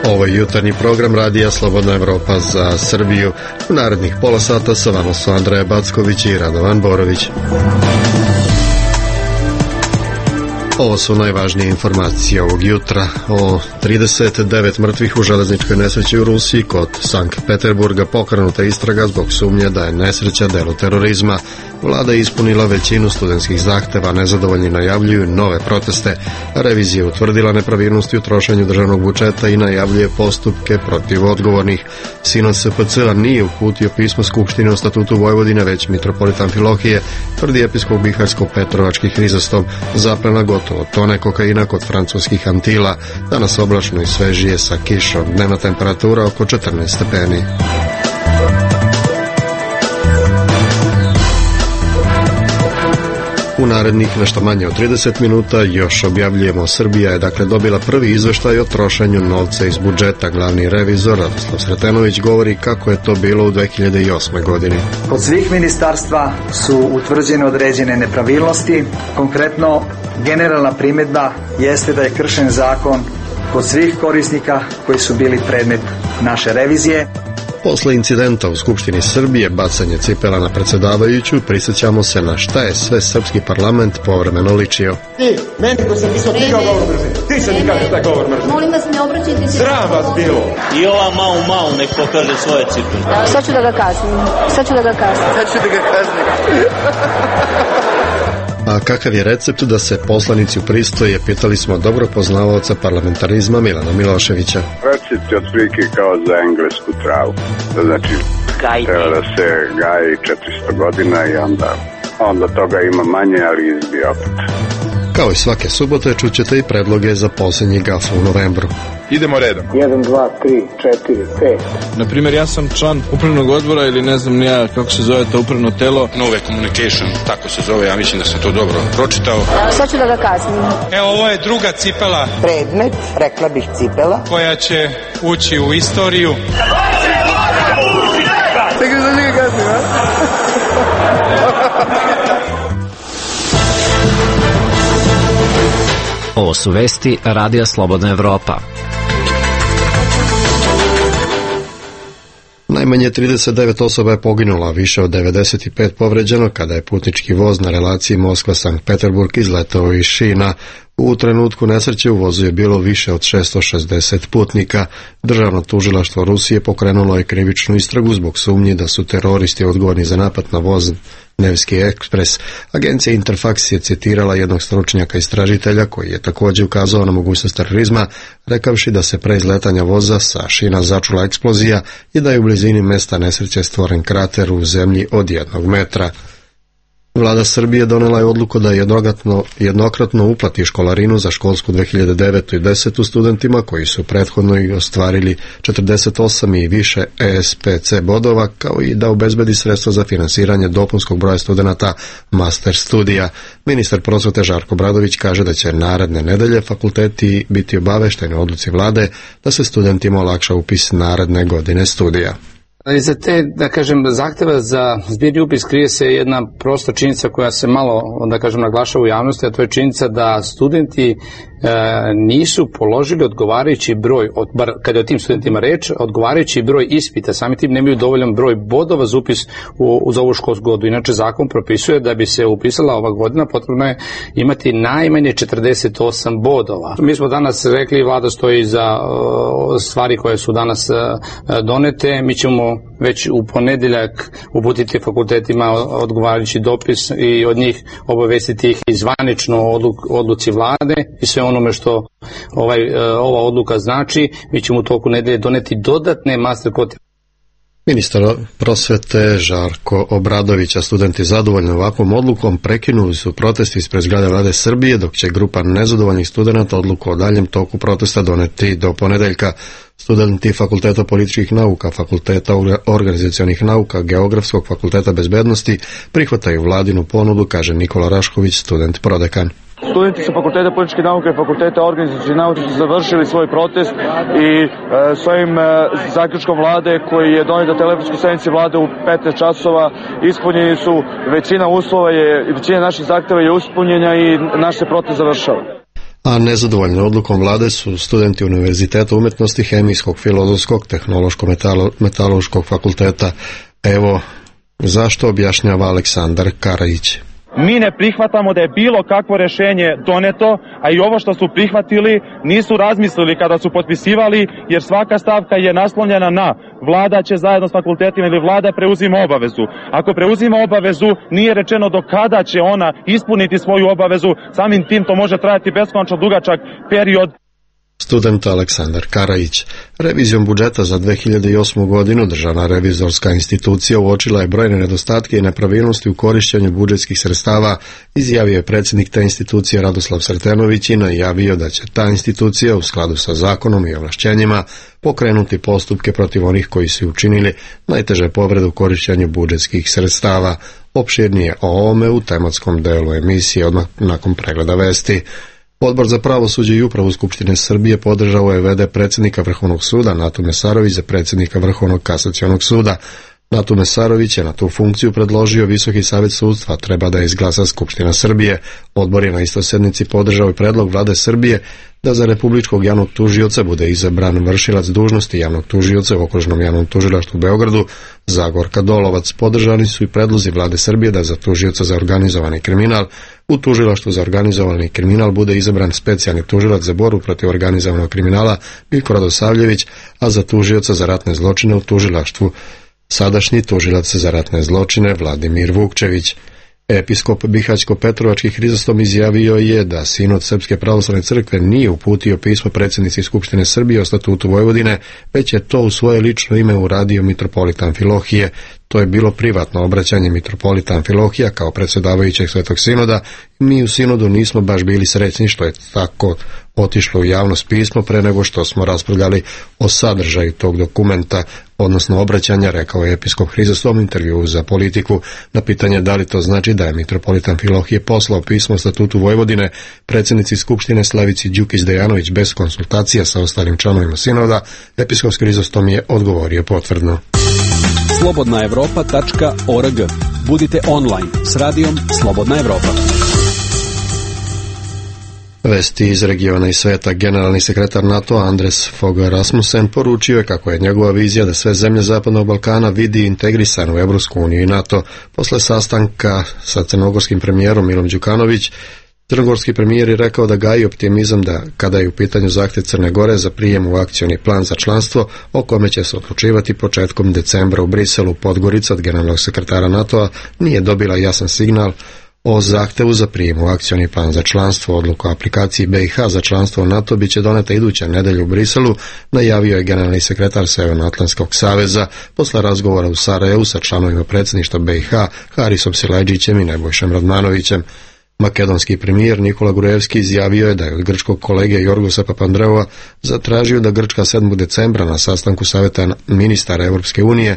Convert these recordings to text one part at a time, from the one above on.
Ovo je jutarnji program Radija Slobodna Evropa za Srbiju. U narednih pola sata sa vama su Andreja Backović i Radovan Borović. Ovo su najvažnije informacije ovog jutra. O 39 mrtvih u železničkoj nesreći u Rusiji kod Sankt Peterburga pokrenuta istraga zbog sumnje da je nesreća delo terorizma. Vlada je ispunila većinu studentskih zahteva, nezadovoljni najavljuju nove proteste. Revizija je utvrdila nepravilnosti u trošenju državnog budžeta i najavljuje postupke protiv odgovornih. Sinod SPC-a nije uputio pismo Skupštine o statutu Vojvodine, već mitropolit Amfilohije, tvrdi episkop Biharsko-Petrovački Hrizostom. Zaplena gotovo tone kokaina kod francuskih Antila. Danas oblačno i svežije sa kišom. Dnevna temperatura oko 14 stepeni. U narednih nešto manje od 30 minuta još objavljujemo. Srbija je dobila prvi izveštaj o trošenju novca iz budžeta. Glavni revizor Radoslav Sretenović govori kako je to bilo u 2008. godini. Kod svih ministarstva su utvrđene određene nepravilnosti. Konkretno, generalna primjedba jeste da je kršen zakon kod svih korisnika koji su bili predmet naše revizije. Posle incidenta u Skupštini Srbije, bacanje cipela na predsjedavajuću, prisjećamo se na šta je sve srpski parlament povremeno ličio. Ti, meni ko sam pisao tikao govor mržnje. Ti se mi kažeš taj govor mržnje. Molim vas, ne obraćajte se. Sram vas bilo. I ova mau nek pokaže svoje cipele. Sad ću da ga kaznim. A kakav je recept da se poslanici upristoje, pitali smo dobrog poznavaoca parlamentarizma Milana Miloševića. Recept je otprilike kao za englesku travu. To znači, treba da se gaji 400 godina i onda toga ima manje, ali izbije opet. Kao i svake subote čućete i predloge za posljednji gaf u novembru. Idemo redom. 1, 2, 3, 4, 5. Naprimjer, ja sam član upravnog odbora ili ne znam nija kako se zove to upravno telo. Nove Communication, tako se zove, ja mislim da sam to dobro pročitao. Sad ću da ga kaznim. Evo, ovo je druga cipela. Predmet, rekla bih cipela. Koja će ući u istoriju. Čekaj, sad ću ga kaznim, a? Ovo su vesti Radija Slobodna Evropa. Najmanje 39 osoba je poginulo, a više od 95 povređeno kada je putnički voz na relaciji Moskva-Sankt Peterburg izletao iz šina. U trenutku nesreće u vozu je bilo više od 660 putnika. Državno tužilaštvo Rusije pokrenulo je krivičnu istragu zbog sumnji da su teroristi odgovorni za napad na voz Nevski ekspres. Agencija Interfax je citirala jednog stručnjaka istražitelja koji je također ukazao na mogućnost terorizma, rekavši da se pre izletanja voza sa šina začula eksplozija i da je u blizini mesta nesreće stvoren krater u zemlji od 1 metra. Vlada Srbije donela je odluku da jednokratno uplati školarinu za školsku 2009. i 10. studentima koji su prethodno i ostvarili 48 i više ESPC bodova, kao i da obezbedi sredstva za finansiranje dopunskog broja studenata master studija. Ministar prosvete Žarko Obradović kaže da će naredne nedelje fakulteti biti obavešteni o odluci vlade da se studentima olakša upis naredne godine studija. Iza te, zahteva za zbirni upis krije se jedna prosta činjenica koja se malo, naglašava u javnosti, a to je činjenica da studenti nisu položili odgovarajući broj, bar kada je o tim studentima reč, odgovarajući broj ispita, sami tim nemaju dovoljan broj bodova za upis za ovu školsku godinu. Inače, zakon propisuje da bi se upisala ova godina, potrebno je imati najmanje 48 bodova. Mi smo danas rekli, vlada stoji za stvari koje su danas donete, mi ćemo već u ponedeljak uputiti fakultetima odgovarajući dopis i od njih obavestiti ih i zvanično odluci vlade i sve onome što ova odluka znači. Mi ćemo u toku nedelje doneti dodatne master kvote. Ministar prosvete Žarko Obradović, a studenti zadovoljni ovakvom odlukom prekinuli su protest ispred zgrade Vlade Srbije, dok će grupa nezadovoljnih studenata odluku o daljem toku protesta doneti do ponedeljka. Studenti Fakulteta političkih nauka, Fakulteta organizacionih nauka, Geografskog fakulteta bezbednosti prihvataju vladinu ponudu, kaže Nikola Rašković, student prodekan. Studenti sa Fakulteta političke nauke i Fakulteta organizacionih nauka su završili svoj protest i svojim zaključkom vlade koji je donet na telefonskoj sednici vlade u 15 časova ispunjeni su većina uslova, većina naših zahteva je ispunjena i naš se protest završava. A nezadovoljni odlukom vlade su studenti Univerziteta umetnosti, Hemijskog, Filozofskog, Tehnološko-metaloškog fakulteta. Evo zašto objašnjava Aleksandar Karajić. Mi ne prihvatamo da je bilo kakvo rešenje doneto, a i ovo što su prihvatili nisu razmislili kada su potpisivali, jer svaka stavka je naslonjena na vlada će zajedno s fakultetima ili vlada preuzima obavezu. Ako preuzima obavezu, nije rečeno do kada će ona ispuniti svoju obavezu, samim tim to može trajati beskonačno dugačak period. Student Aleksandar Karajić. Revizijom budžeta za 2008. godinu Državna revizorska institucija uočila je brojne nedostatke i nepravilnosti u korišćenju budžetskih sredstava, izjavio je predsjednik te institucije Radoslav Sretenović i najavio da će ta institucija u skladu sa zakonom i ovlašćenjima pokrenuti postupke protiv onih koji su učinili najteže povrede u korišćenju budžetskih sredstava. Opširnije o ovome u tematskom delu emisije odmah nakon pregleda vesti. Odbor za pravosuđe i upravu Skupštine Srbije podržao je v.d. predsjednika Vrhovnog suda Natu Mesarović za predsjednika Vrhovnog kasacionog suda. Natu Mesarović je na tu funkciju predložio Visoki savet sudstva, treba da je izglasa Skupština Srbije. Odbor je na istoj sednici podržao i predlog vlade Srbije da za republičkog javnog tužioca bude izabran vršilac dužnosti javnog tužioca u Okružnom javnom tužilaštvu u Beogradu, Zagorka Dolovac. Podržani su i predlozi vlade Srbije da za tužioca za organizovani kriminal u tužilaštvu za organizovani kriminal bude izabran specijalni tužilac za borbu protiv organizovanog kriminala Miljko Radosavljević, a za tužioca za ratne zločine u tužilaštvu sadašnji tužilac za ratne zločine Vladimir Vukčević. Episkop Bihaćko-Petrovački Hrizostom izjavio je da Sinod Srpske pravoslavne crkve nije uputio pismo predsjednici Skupštine Srbije o statutu Vojvodine, već je to u svoje lično ime uradio mitropolita Amfilohije. To je bilo privatno obraćanje mitropolita Amfilohija kao predsjedavajućeg Svetog Sinoda. Mi u Sinodu nismo baš bili srećni što je tako otišlo u javnost pismo pre nego što smo raspravljali o sadržaju tog dokumenta, odnosno obraćanja, rekao je episkop Hrizostom u intervjuu za Politiku. Na pitanje da li to znači da je mitropolita Amfilohije poslao pismo o statutu Vojvodine predsjednici Skupštine Slavici Đukić-Dejanović bez konsultacija sa ostalim članovima Sinoda, episkop Hrizostom je odgovorio potvrdno. slobodnaevropa.org. Budite online s radijom Slobodna Evropa. Vesti iz regiona i sveta. Generalni sekretar NATO-a Anders Fogh Rasmussen poručio je kako je njegova vizija da sve zemlje Zapadnog Balkana vidi integrisanu u Evropsku uniju i NATO. Posle sastanka sa crnogorskim premijerom Milom Đukanović, crnogorski premijer je rekao da gaji optimizam da kada je u pitanju zahtjev Crne Gore za prijem u akcioni plan za članstvo, o kome će se odlučivati početkom decembra u Briselu. Podgorica od generalnog sekretara NATO-a nije dobila jasan signal o zahtevu za prijem u akcioni plan za članstvo. Odluka o aplikaciji BiH za članstvo u NATO biće doneta iduće nedelje u Briselu, najavio je generalni sekretar Severnoatlantskog saveza posle razgovora u Sarajevu sa članovima predsjedništva BiH Harisom Siledžićem i Nebojšom Radmanovićem. Makedonski premijer Nikola Gurevski izjavio je da je od grčkog kolege Jorgosa Papandreova zatražio da Grčka 7. decembra na sastanku Saveta ministara Europske unije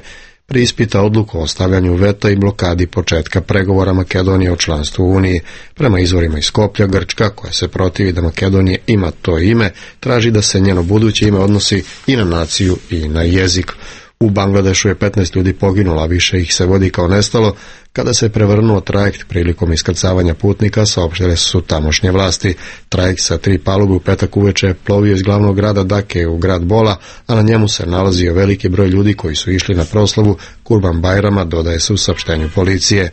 preispita odluku o stavljanju veta i blokadi početka pregovora Makedonije o članstvu u Uniji. Prema izvorima iz Skoplja, Grčka, koja se protivi da Makedonija ima to ime, traži da se njeno buduće ime odnosi i na naciju i na jezik. U Bangladešu je 15 ljudi poginulo, a više ih se vodi kao nestalo kada se prevrnuo trajekt prilikom iskrcavanja putnika, saopštile su tamošnje vlasti. Trajekt sa 3 palube u petak uveče je plovio iz glavnog grada Dake u grad Bola, a na njemu se nalazio veliki broj ljudi koji su išli na proslavu Kurban Bajrama, dodaje se u saopštenju policije.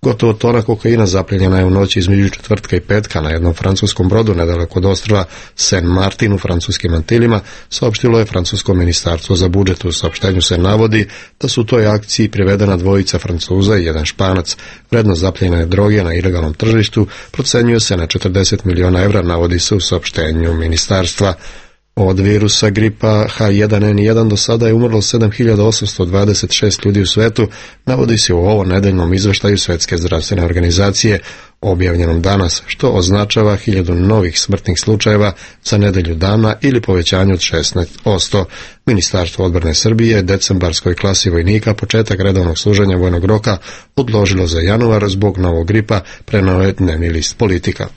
Gotovo tona kokaina zapljenjena je u noći između četvrtka i petka na jednom francuskom brodu nedaleko od ostrva Saint Martin u francuskim Antilima, saopštilo je francusko ministarstvo za budžet. U saopštenju se navodi da su u toj akciji privedena dvojica Francuza i jedan Španac. Vrednost zapljene droge na ilegalnom tržištu procenjuje se na 40 miliona evra, navodi se u saopštenju ministarstva. Od virusa gripa H1N1 do sada je umrlo 7826 ljudi u svetu, navodi se u ovo nedeljnom izveštaju Svetske zdravstvene organizacije, objavljenom danas, što označava 1000 novih smrtnih slučajeva za nedelju dana ili povećanje od 16%. Ministarstvo odbrane Srbije decembarskoj klasi vojnika početak redovnog služenja vojnog roka odložilo za januar zbog novog gripa, preneo je dnevni list Politika.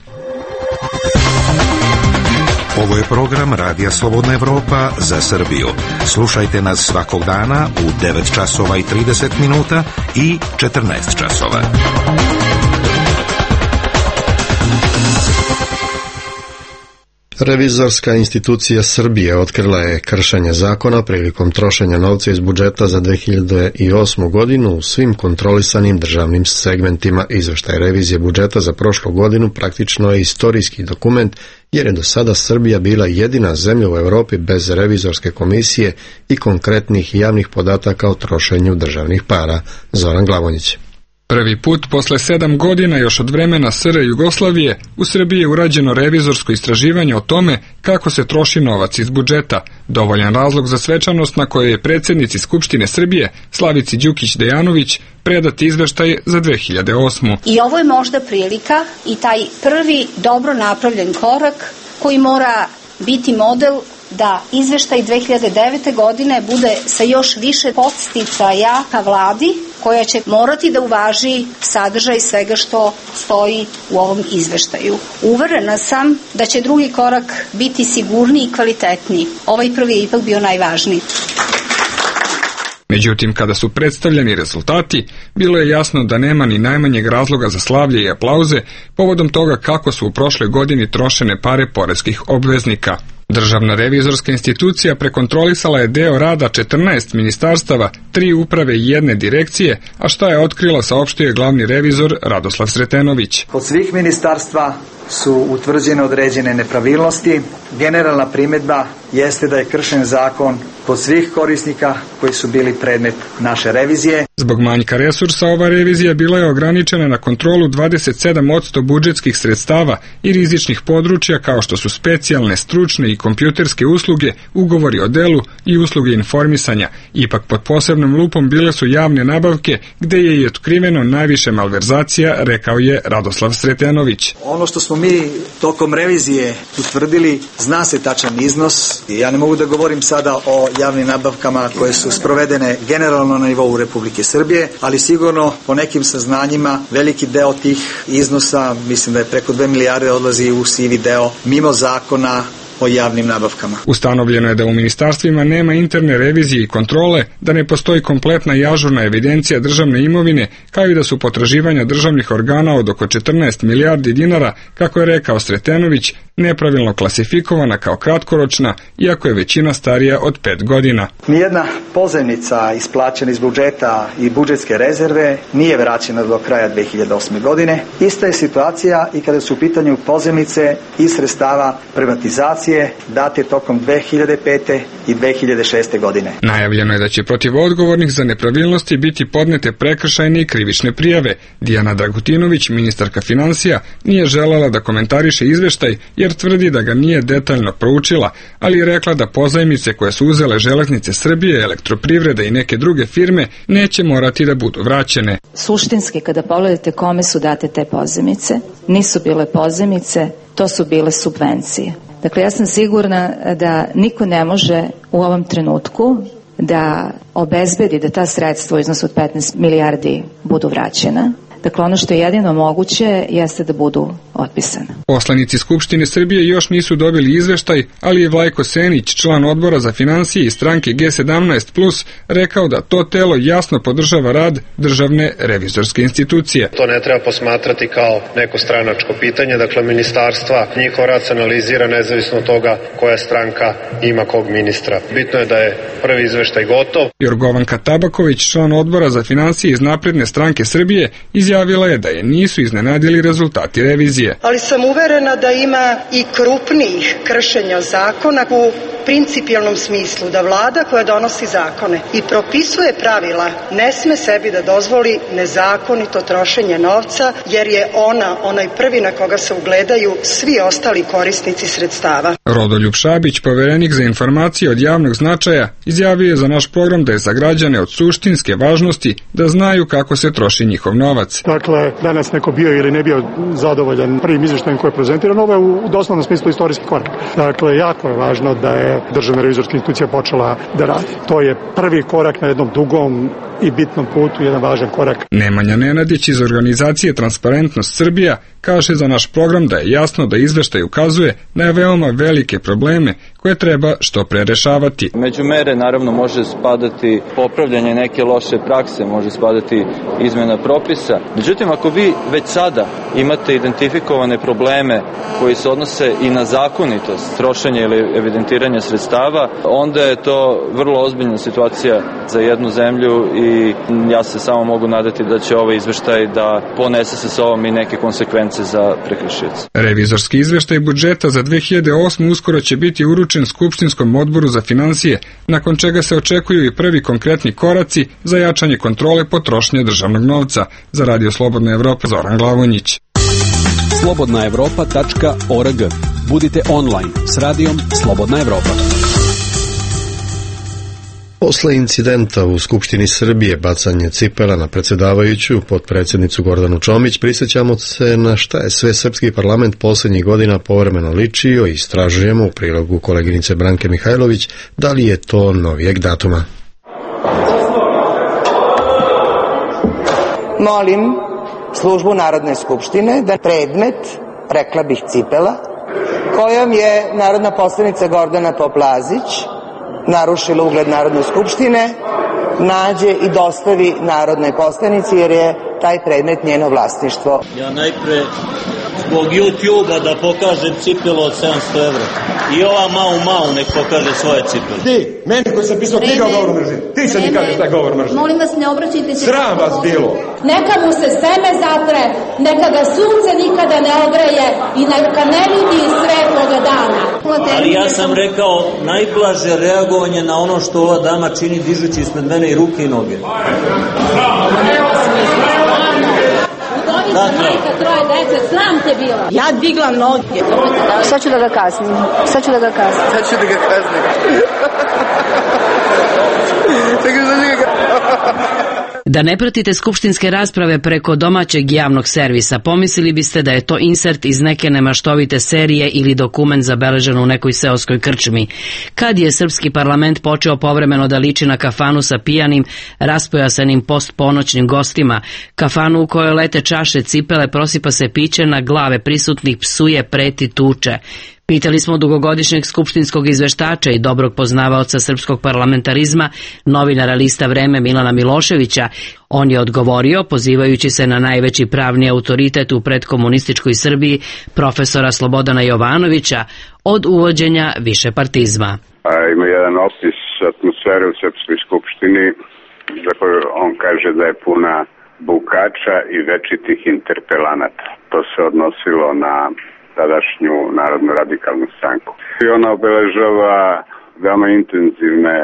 Ovo je program Radija Slobodna Evropa za Srbiju. Slušajte nas svakog dana u 9 časova i 30 minuta i 14 časova. Revizorska institucija Srbije otkrila je kršenje zakona prilikom trošenja novca iz budžeta za 2008. godinu u svim kontrolisanim državnim segmentima. Izveštaj revizije budžeta za prošlu godinu praktično je istorijski dokument, jer je do sada Srbija bila jedina zemlja u Evropi bez revizorske komisije i konkretnih javnih podataka o trošenju državnih para. Zoran Glavonjić. Prvi put posle 7 godina još od vremena SR Jugoslavije u Srbiji je urađeno revizorsko istraživanje o tome kako se troši novac iz budžeta. Dovoljan razlog za svečanost na kojoj je predsjednici Skupštine Srbije Slavici Đukić Dejanović predati izveštaj za 2008. I ovo je možda prilika i taj prvi dobro napravljen korak koji mora biti model da izveštaj 2009. godine bude sa još više podsticaja ka vladi, koja će morati da uvaži sadržaj svega što stoji u ovom izveštaju. Uverena sam da će drugi korak biti sigurniji i kvalitetniji. Ovaj prvi je ipak bio najvažniji. Međutim, kada su predstavljeni rezultati, bilo je jasno da nema ni najmanjeg razloga za slavlje i aplauze povodom toga kako su u prošloj godini trošene pare poreskih obveznika. Državna revizorska institucija prekontrolisala je deo rada 14 ministarstava, 3 uprave i 1 direkcije, a šta je otkrila saopštio je glavni revizor Radoslav Sretenović. Kod svih ministarstva su utvrđene određene nepravilnosti. Generalna primedba jeste da je kršen zakon kod svih korisnika koji su bili predmet naše revizije. Zbog manjka resursa ova revizija bila je ograničena na kontrolu 27% budžetskih sredstava i rizičnih područja kao što su specijalne, stručne i kompjuterske usluge, ugovori o delu i usluge informisanja. Ipak pod posebnom lupom bile su javne nabavke gde je i otkriveno najviše malverzacija, rekao je Radoslav Sretenović. Ono što smo mi tokom revizije utvrdili, zna se tačan iznos. Ja ne mogu da govorim sada o javnim nabavkama koje su sprovedene generalno na nivou Republike Srbije, ali sigurno po nekim saznanjima veliki deo tih iznosa, mislim da je preko 2 milijarde, odlazi u sivi deo mimo zakona o javnim nabavkama. Ustanovljeno je da u ministarstvima nema interne revizije i kontrole, da ne postoji kompletna i ažurna evidencija državne imovine, kao i da su potraživanja državnih organa od oko 14 milijardi dinara, kako je rekao Sretenović, nepravilno klasifikovana kao kratkoročna, iako je većina starija od 5 godina. Nijedna pozajmica isplaćena iz budžeta i budžetske rezerve nije vraćena do kraja 2008. godine. Ista je situacija i kada su u pitanju pozajmice i sredstava privatizacije date tokom 2005. i 2006. godine. Najavljeno je da će protiv odgovornih za nepravilnosti biti podnete prekršajne i krivične prijave. Dijana Dragutinović, ministarka finansija, nije želela da komentariše izveštaj jer tvrdi da ga nije detaljno proučila, ali je rekla da pozajmice koje su uzele Železnice Srbije, Elektroprivreda i neke druge firme neće morati da budu vraćene. Suštinski, kada pogledate kome su date te pozajmice, nisu bile pozajmice, to su bile subvencije. Dakle, ja sam sigurna da niko ne može u ovom trenutku da obezbedi da ta sredstva u iznosu od 15 milijardi budu vraćena. Dakle, ono što je jedino moguće jeste da budu otpisane. Poslanici Skupštine Srbije još nisu dobili izveštaj, ali je Vlajko Senić, član odbora za finansije i stranke G17+, rekao da to telo jasno podržava rad državne revizorske institucije. To ne treba posmatrati kao neko stranačko pitanje, dakle ministarstva, njihov rad se analizira nezavisno od toga koja stranka ima kog ministra. Bitno je da je prvi izveštaj gotov. Jorgovanka Tabaković, član odbora za finansije iz Napredne stranke Srbije, izjavila je da je nisu iznenadili rezultati revizije. Ali sam uverena da ima i krupnijih kršenja zakona u principijelnom smislu, da vlada koja donosi zakone i propisuje pravila ne sme sebi da dozvoli nezakonito trošenje novca, jer je ona onaj prvi na koga se ugledaju svi ostali korisnici sredstava. Rodoljub Šabić, poverenik za informacije od javnog značaja, izjavio je za naš program da je za građane od suštinske važnosti da znaju kako se troši njihov novac. Dakle, danas neko bio ili ne bio zadovoljan prvim izveštajem koji je prezentiran, ovo je u doslovnom smislu istorijski korak. Dakle, jako je važno da je državna revizorska institucija počela da radi. To je prvi korak na jednom dugom i bitnom putu, jedan važan korak. Nemanja Nenadić iz organizacije Transparentnost Srbija kaže za naš program da je jasno da izveštaj ukazuje na veoma velike probleme koje treba što pre rešavati. Među mere naravno može spadati popravljanje neke loše prakse, može spadati izmena propisa. Međutim, ako vi već sada imate identifikovane probleme koji se odnose i na zakonitost trošenja ili evidentiranja sredstava, onda je to vrlo ozbiljna situacija za jednu zemlju i ja se samo mogu nadati da će ovaj izveštaj da ponese sa sobom i neke konsekvence za prekršioce. Revizorski izveštaj budžeta za 2008. uskoro će biti uručen Skupštinskom odboru za finansije, nakon čega se očekuju i prvi konkretni koraci za jačanje kontrole potrošnje državnog novca. Za Radio Slobodna Evropa, Zoran Glavonjić. slobodnaevropa.org. Budite online s radijom Slobodna Evropa. Posle incidenta u Skupštini Srbije, bacanje cipela na predsjedavajuću, potpredsjednicu Gordanu Čomić, prisjećamo se na šta je sve srpski parlament posljednjih godina povremeno ličio i istražujemo u prilogu koleginice Branke Mihajlović da li je to novijeg datuma. Molim službu Narodne skupštine da predmet, rekla bih cipela, kojom je narodna poslanica Gordana Poplazić narušila ugled Narodne skupštine, nađe i dostavi narodnoj poslanici, jer je taj predmet njeno vlasništvo. Ja najpre zbog YouTube-a da pokažem cipelo od 700 evra. I ova Mau nek pokaže svoje cipele. Ti, meni koji sam pisao knjiga o govoru mržnje. Ti sad mi kažeš taj govor mržnje. Molim vas, ne obraćajte se. Sram vas bilo. Neka mu se seme zatre, neka ga sunce nikada ne ogreje i neka ne vidi svetloga dana. Ali ja sam rekao najblaže reagovanje na ono što ova dama čini dižući ispred mene i ruke i noge. Majka troje dece, sram te bila. Ja digla noge. Sad ću da ga kaznim. Sad ću da ga kaznim. Da ne pratite skupštinske rasprave preko domaćeg javnog servisa, pomislili biste da je to insert iz neke nemaštovite serije ili dokument zabeležen u nekoj seoskoj krčmi. Kad je srpski parlament počeo povremeno da liči na kafanu sa pijanim, raspojasanim postponoćnim gostima, kafanu u kojoj lete čaše, cipele, prosipa se piće na glave prisutnih, psuje, preti, tuče. Pitali smo dugogodišnjeg skupštinskog izveštača i dobrog poznavaoca srpskog parlamentarizma, novinara lista Vreme Milana Miloševića. On je odgovorio, pozivajući se na najveći pravni autoritet u predkomunističkoj Srbiji, profesora Slobodana Jovanovića, od uvođenja višepartizma. Ima jedan opis atmosfere u Srpskoj skupštini za koju on kaže da je puna bukača i večitih interpelanata. To se odnosilo na tadašnju Narodnu radikalnu stranku. I ona obeležava veoma intenzivne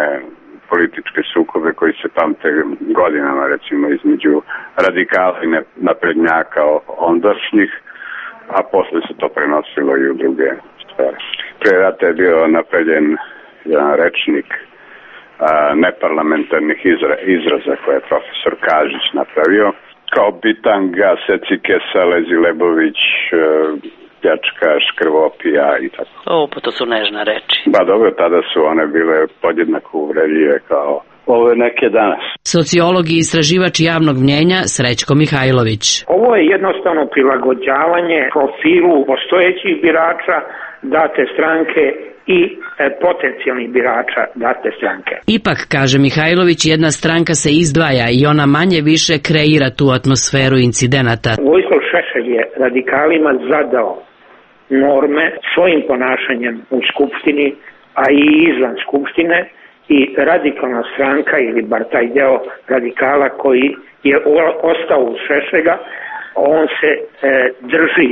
političke sukobe koji se pamte godinama, recimo između radikala i naprednjaka ondašnjih, a posle se to prenosilo i u druge stvari. Pre rata je bio napravljen jedan rečnik neparlamentarnih izraza koje je profesor Kažić napravio, kao bitanga, secikesa, lezilebović, pljačka, škrvopija i tako. Pa to su nežne reči. Ba dobro, tada su one bile podjednako uvredljive kao ove neke danas. Sociolog i istraživač javnog mnjenja Srećko Mihajlović. Ovo je jednostavno prilagođavanje profilu postojećih birača date stranke i potencijalnih birača date stranke. Ipak, kaže Mihajlović, jedna stranka se izdvaja i ona manje više kreira tu atmosferu incidenata. Vojislav Šešelj je radikalima zadao norme svojim ponašanjem u Skupštini, a i izvan Skupštine, i radikalna stranka ili bar taj deo radikala koji je ostao u Šešelja, on se drži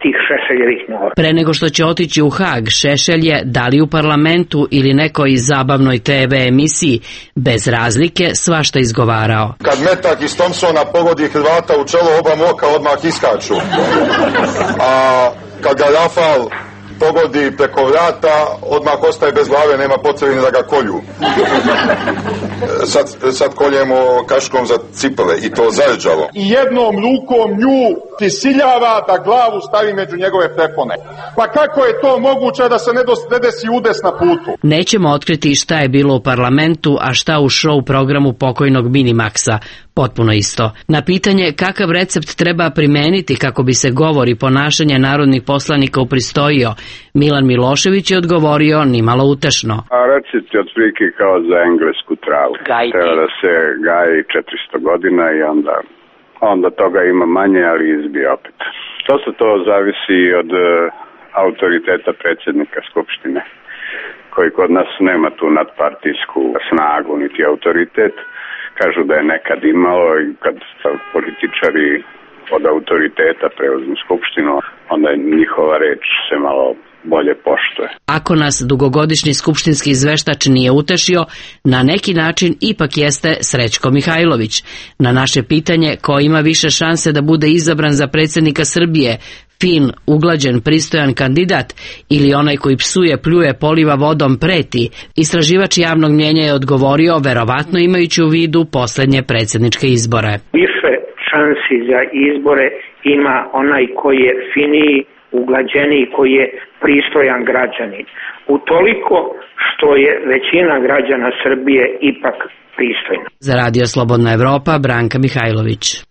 tih Šešeljevih norma. Pre nego što će otići u Hag, Šešelj je, da li u parlamentu ili nekoj zabavnoj TV emisiji, bez razlike svašta izgovarao. Kad metak iz Thompsona pogodi Hrvata u čelo, oba moka odmah iskaču. A kad ga Rafal pogodi preko vrata, odmah ostaje bez glave, nema potrebe da ga kolju. Sad koljemo kaškom za cipele i to zarđalo. I jednom rukom nju prisiljava da glavu stavi među njegove prepone. Pa kako je to moguće da se ne desi udes na putu? Nećemo otkriti šta je bilo u parlamentu, a šta u show programu pokojnog Minimaxa. Potpuno isto. Na pitanje kakav recept treba primeniti kako bi se govor i ponašanje narodnih poslanika upristojio Milan Milošević je odgovorio nimalo utešno. A recite otprilike kao za englesku travu. Treba da se gaji 400 godina i onda toga ima manje, ali izbije opet. To zavisi od autoriteta predsjednika Skupštine, koji kod nas nema tu nadpartijsku snagu niti autoritet. Kažu da je nekad imalo i kad političari od autoriteta preuzmu Skupštinu, onda njihova reč se malo bolje poštuje. Ako nas dugogodišnji skupštinski izveštač nije utešio, na neki način ipak jeste Srećko Mihajlović. Na naše pitanje ko ima više šanse da bude izabran za predsjednika Srbije, fin, uglađen, pristojan kandidat ili onaj koji psuje, pljuje, poliva vodom, preti, istraživač javnog mnjenja je odgovorio, verovatno imajući u vidu poslednje predsjedničke izbore. Više šansi za izbore ima onaj koji je finiji, uglađeniji, koji je pristojan građanin. Utoliko što je većina građana Srbije ipak pristojna. Za Radio Slobodna Evropa, Branka Mihajlović.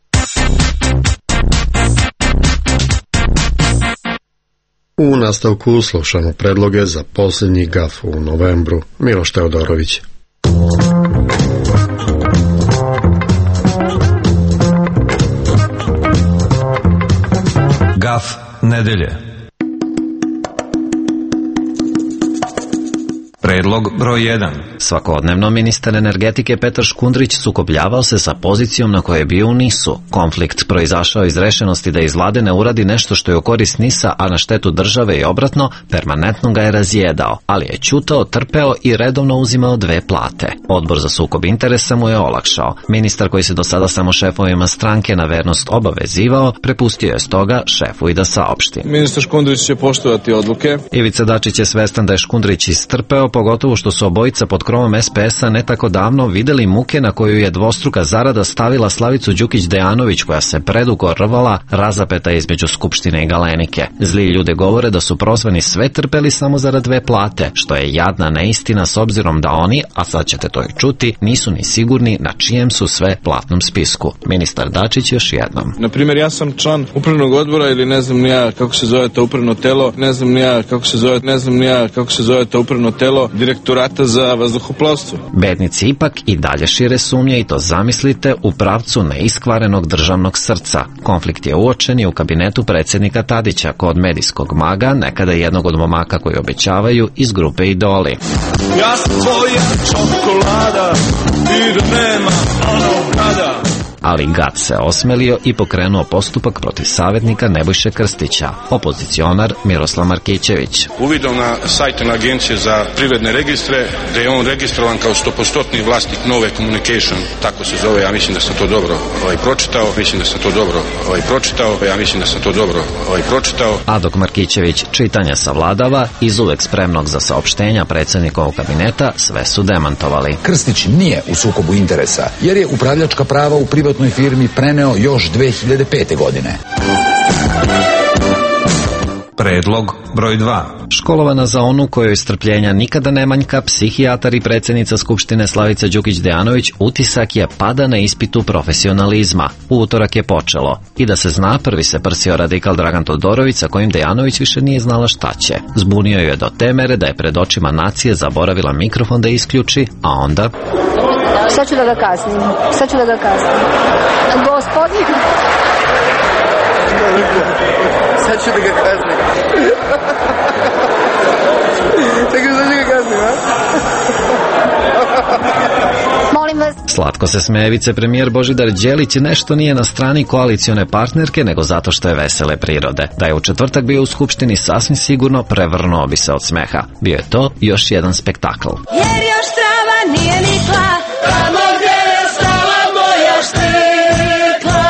U nastavku slušamo predloge za posljednji GAF u novembru. Miloš Teodorović. GAF nedelje. Predlog broj 1. Svakodnevno ministar energetike Petar Škundrić sukobljavao se sa pozicijom na kojoj je bio u NIS-u. Konflikt proizašao iz rešenosti da iz vlade ne uradi nešto što je u korist NIS-a, a na štetu države i obratno, permanentno ga je razjedao, ali je ćutao, trpeo i redovno uzimao 2 plate. Odbor za sukob interesa mu je olakšao. Ministar koji se do sada samo šefovima stranke na vernost obavezivao, prepustio je stoga šefu i da saopšti. Ministar Škundrić će poštovati odluke. Ivica Dačić je svestan da je Škundrić istrpeo, pogotovo što su obojica pod krovom SPS-a ne tako davno videli muke na koju je dvostruka zarada stavila Slavicu Đukić Dejanović, koja se predugo rvala razapeta između Skupštine i Galenike. Zli ljude govore da su prozvani sve trpeli samo zarad 2 plate, što je jadna neistina s obzirom da oni, a sad ćete to i čuti, nisu ni sigurni na čijem su sve platnom spisku. Ministar Dačić još jednom. Na primjer, ja sam član upravnog odbora ili ne znam ni ja kako se zove to upravno telo, ne znam ni ja kako se zove to upravno telo Direktorata za vazduhoplovstvo. Bednici ipak i dalje šire sumnje i to zamislite u pravcu neiskvarenog državnog srca. Konflikt je uočen i u kabinetu predsjednika Tadića kod medijskog maga, nekada jednog od momaka koji obećavaju iz grupe Idoli. Ja sam tvoja čokolada i da nema onog kada. Ali gad se osmelio i pokrenuo postupak protiv savjetnika Nebojše Krstića, opozicionar Miroslav Markićević. Uvidom na sajtu Agencije za privredne registre, da je on registrovan kao 100% vlasnik Nove Communication, tako se zove, ja mislim da sam to dobro pročitao. A dok Markićević čitanja savladava, iz uvek spremnog za saopštenja predsjednikovog kabineta, sve su demantovali. Krstić nije u sukobu interesa, jer je upravljačka prava u privatnoj firmi preneo još 2005. godine. Predlog broj 2. Školovana za onu kojoj strpljenja nikada ne manjka, psihijatar i predsjednica Skupštine Slavica Đukić Dejanović utisak je pada na ispitu profesionalizma. U utorak je počelo. I da se zna, prvi se prsio radikal Dragan Todorović, sa kojim Dejanović više nije znala šta će. Zbunio je do te mere da je pred očima nacije zaboravila mikrofon da isključi, a onda... Sad ću da ga kaznim. Gospodin... Sad ću da ga kaznim. Tako sad ću ga kaznim, a? Molim vas. Slatko se smeje vicepremijer Božidar Đelić, nešto nije na strani koalicione partnerke, nego zato što je vesele prirode. Da je u četvrtak bio u Skupštini, sasvim sigurno prevrnuo bi se od smeha. Bio je to još jedan spektakl. Jer još trava nije nikla, tamo gdje je stala moja štikla.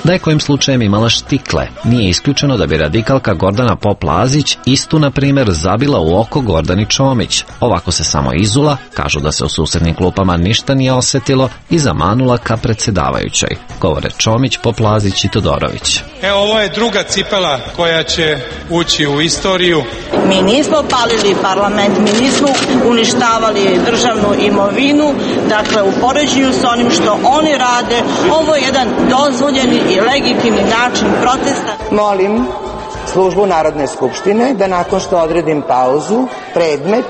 Da je kojim slučajem imala štikle, nije isključeno da bi radikalka Gordana Pop-Lazić istu, na primjer, zabila u oko Gordani Čomić. Ovako se samo izula, kažu da se u susednim klupama ništa nije osjetilo i zamanula ka predsjedavajućoj. Govore Čomić, Pop-Lazić i Todorović. Evo, ovo je druga cipela koja će ući u istoriju. Mi nismo palili parlament, mi nismo uništavali državnu imovinu, dakle u poređenju s onim što oni rade, ovo je jedan dozvoljeni i legitimni način protesta. Molim službu Narodne skupštine da nakon što odredim pauzu, predmet,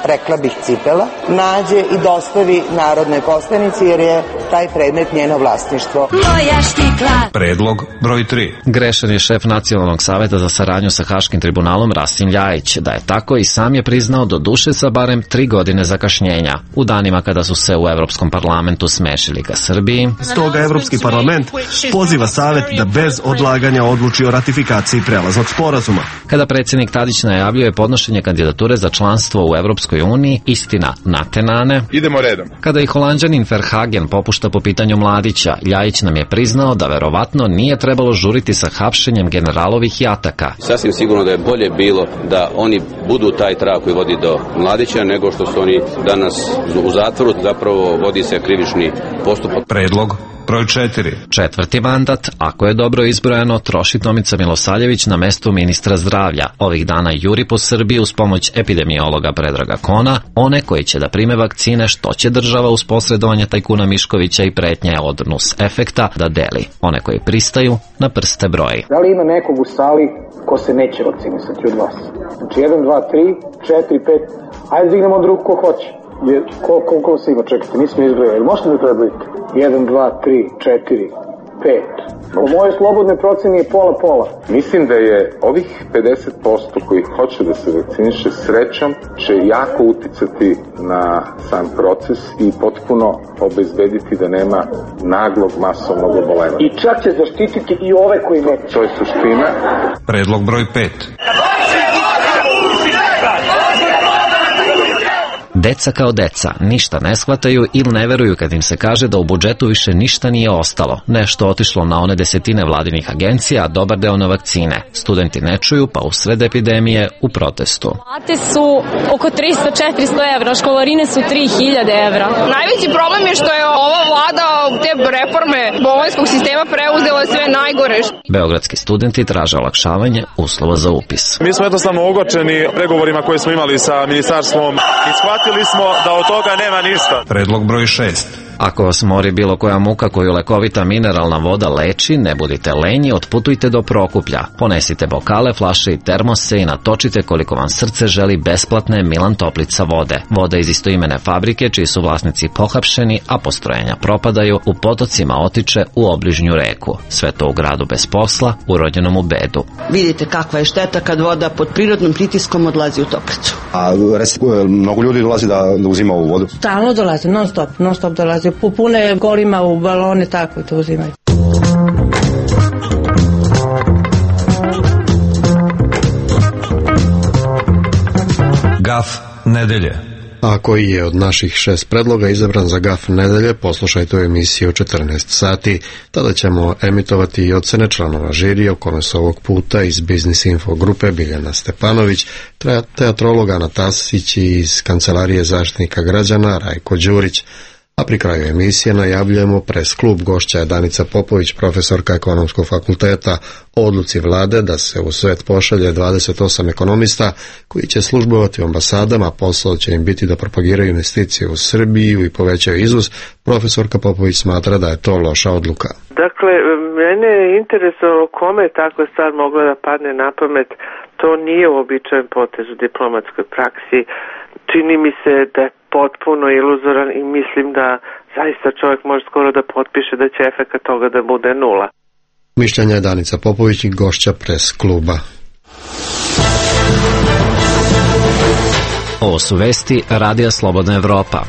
rekla bih cipela, nađe i dostavi narodnoj poslanici jer je taj predmet njeno vlasništvo. Moja štikla. Predlog broj 3. Grešan je šef Nacionalnog saveta za saradnju sa Haškim tribunalom Rasim Ljajić. Da je tako i sam je priznao do duše sa barem 3 godine zakašnjenja. U danima kada su se u Evropskom parlamentu smešili ka Srbiji. Stoga Evropski parlament poziva savet da bez odlaganja odluči o ratifikaciji prelaznog sporazuma. Kada predsjednik Tadić najavljuje podnošenje kandidature za članstvo u Evropskoj uniji, istina natenane. Idemo redom. Kada i Holanđanin Verhagen popušta po pitanju Mladića, Ljajić nam je priznao da verovatno nije trebalo žuriti sa hapšenjem generalovih jataka. Sasvim sigurno da je bolje bilo da oni budu taj trag koji vodi do Mladića nego što su oni danas u zatvoru, zapravo vodi se krivični postupak. Predlog broj 4. 4. mandat, ako je dobro izbrojano, troši Tomica Milosavljević na mestu ministra zdravlja. Ovih dana juri po Srbiji uz pomoć epidemiologa Predraga Kona, one koji će da prime vakcine što će država uz posredovanje tajkuna Miškovića i pretnje od nus efekta da deli. One koji pristaju na prste broji. Da li ima nekog u sali ko se neće vakcinisati od vas? Znači 1, 2, 3, 4, 5, ajde dignemo od ruku ko hoće. Koliko se ima, čekajte, nismo izgledali. Možete da prebrojite? 1, 2, 3, 4, 5. Po moje slobodne proceni je pola-pola. Mislim da je ovih 50% koji hoće da se vakciniše srećom će jako uticati na sam proces i potpuno obezbediti da nema naglog masovnog obolevanja. I čak će zaštititi i ove koji neće. To je suština. Predlog broj 5. Deca kao deca ništa ne shvataju ili ne veruju kad im se kaže da u budžetu više ništa nije ostalo. Nešto otišlo na one desetine vladinih agencija, a dobar deo na vakcine. Studenti ne čuju, pa u sred epidemije u protestu. Plate su oko 300-400 evra, školarine su 3000 evra. Najveći problem je što je ova vlada te reforme bolonjskog sistema preuzela sve najgore. Beogradski studenti traže olakšavanje uslova za upis. Mi smo jednostavno ogorčeni pregovorima koje smo imali sa ministarstvom i shvatili smo da od toga nema ništa. Predlog broj 6. Ako vas mori bilo koja muka koju lekovita mineralna voda leči, ne budite lenji, otputujte do Prokuplja. Ponesite bokale, flaše i termose i natočite koliko vam srce želi besplatne Milan Toplica vode. Voda iz istoimene fabrike, čiji su vlasnici pohapšeni, a postrojenja propadaju, u potocima otiče u obližnju reku. Sve to u gradu bez posla, urođenom u bedu. Vidite kakva je šteta kad voda pod prirodnim pritiskom odlazi u Toplicu. A mnogo ljudi dolazi da uzima ovu vodu? Stalno dolazi, non stop dolazi. Pune kolima u balone, tako i to uzimaju. Gaf nedelje. A koji je od naših 6 predloga izabran za gaf nedelje, poslušajte u emisiju 14 sati. Tada ćemo emitovati i ocene članova žirija, o kome su ovog puta iz Biznis Info grupe Biljana Stepanović, teatrolog Ana Tasić i iz Kancelarije zaštitnika građana Rajko Đurić. A pri kraju emisije najavljujemo pres klub. Gošća je Danica Popović, profesorka Ekonomskog fakulteta, o odluci vlade da se u svet pošalje 28 ekonomista koji će službovati u ambasadama. Posao će im biti da propagiraju investicije u Srbiju i povećaju izvoz. Profesorka Popović smatra da je to loša odluka. Dakle, mene je interesovalo kome je takva stvar mogla da padne na pamet. To nije uobičajen potez u diplomatskoj praksi. Čini mi se da je potpuno iluzoran i mislim da zaista čovjek može skoro da potpiše da će efekat toga da bude 0. Mišljenja je Danica Popović i gošća pres kluba. Ovo su vesti Radija Slobodna Evropa.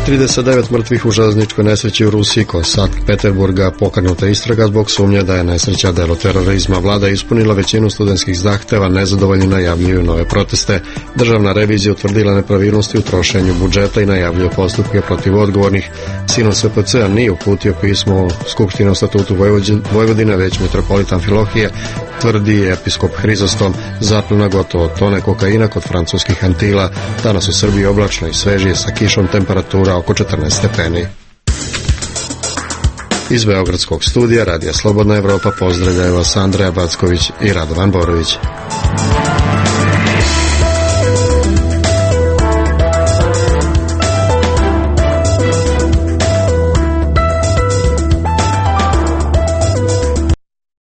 ...39 mrtvih u železničkoj nesreći u Rusiji kod Sankt Peterburga. Pokrenuta istraga zbog sumnje da je nesreća delo terorizma. Vlada je ispunila većinu studentskih zahteva, nezadovoljni najavljuju nove proteste. Državna revizija utvrdila nepravilnosti u trošenju budžeta i najavljuje postupke protiv odgovornih. Sinon SPC-a nije uputio pismo Skupštine o statutu Vojvodine, već mitropolit Amfilohije, tvrdi episkop Hrizostom. Zaplena gotovo tone kokaina kod francuskih Antila. Danas u Srbiji oblačno i svežije sa kišom, temperatura oko 14 stepeni. Iz Beogradskog studija Radija Slobodna Evropa pozdravljaju vas Andreja Backović i Radovan Borović.